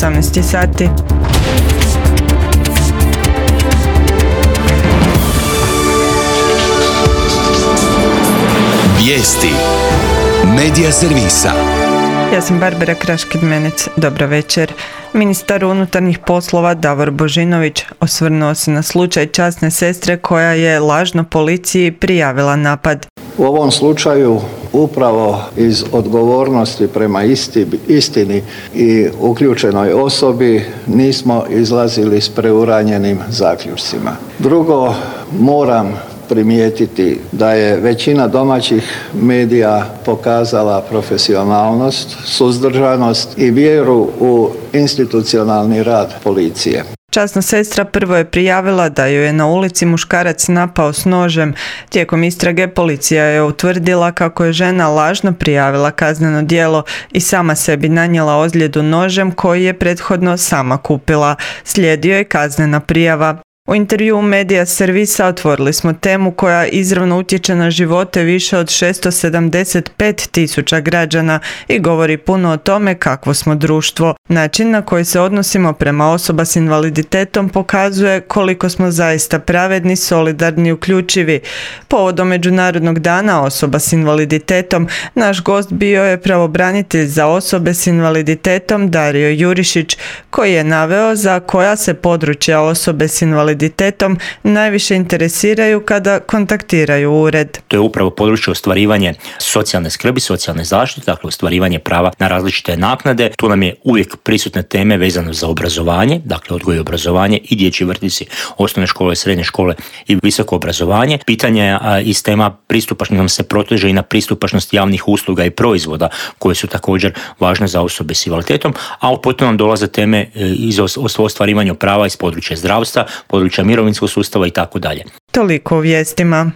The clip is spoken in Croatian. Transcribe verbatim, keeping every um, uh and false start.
osamnaest sati. Vijesti Medija servisa. Ja sam Barbara Kraš-Kidmenec. Dobro večer. Ministar unutarnjih poslova Davor Božinović osvrnuo se na slučaj časne sestre koja je lažno policiji prijavila napad. U ovom slučaju upravo iz odgovornosti prema isti, istini i uključenoj osobi nismo izlazili s preuranjenim zaključcima. Drugo, moram primijetiti da je većina domaćih medija pokazala profesionalnost, suzdržanost i vjeru u institucionalni rad policije. Časna sestra prvo je prijavila da ju je na ulici muškarac napao s nožem. Tijekom istrage policija je utvrdila kako je žena lažno prijavila kazneno djelo i sama sebi nanijela ozljedu nožem koji je prethodno sama kupila. Slijedio je kaznena prijava. U intervjuu Medija servisa otvorili smo temu koja izravno utječe na živote više od šesto sedamdeset pet tisuća građana i govori puno o tome kakvo smo društvo. Način na koji se odnosimo prema osoba s invaliditetom pokazuje koliko smo zaista pravedni, solidarni i uključivi. Povodom Međunarodnog dana osoba s invaliditetom, naš gost bio je pravobranitelj za osobe s invaliditetom Dario Jurišić, koji je naveo za koja se područja osobe s invaliditetom najviše interesiraju kada kontaktiraju ured. To je upravo područje ostvarivanje socijalne skrbi, socijalne zaštite, dakle ostvarivanje prava na različite naknade. Tu nam je uvijek prisutne teme vezane za obrazovanje, dakle odgoj i obrazovanje i dječji vrtići, osnovne škole, srednje škole i visoko obrazovanje. Pitanje iz tema pristupačnosti nam se proteže i na pristupačnost javnih usluga i proizvoda koje su također važne za osobe s invaliditetom, a potom nam dolaze teme iz ostvarivanja prava iz područja zdravstva, područja mirovinskog sustava i tako dalje. Toliko u vijestima.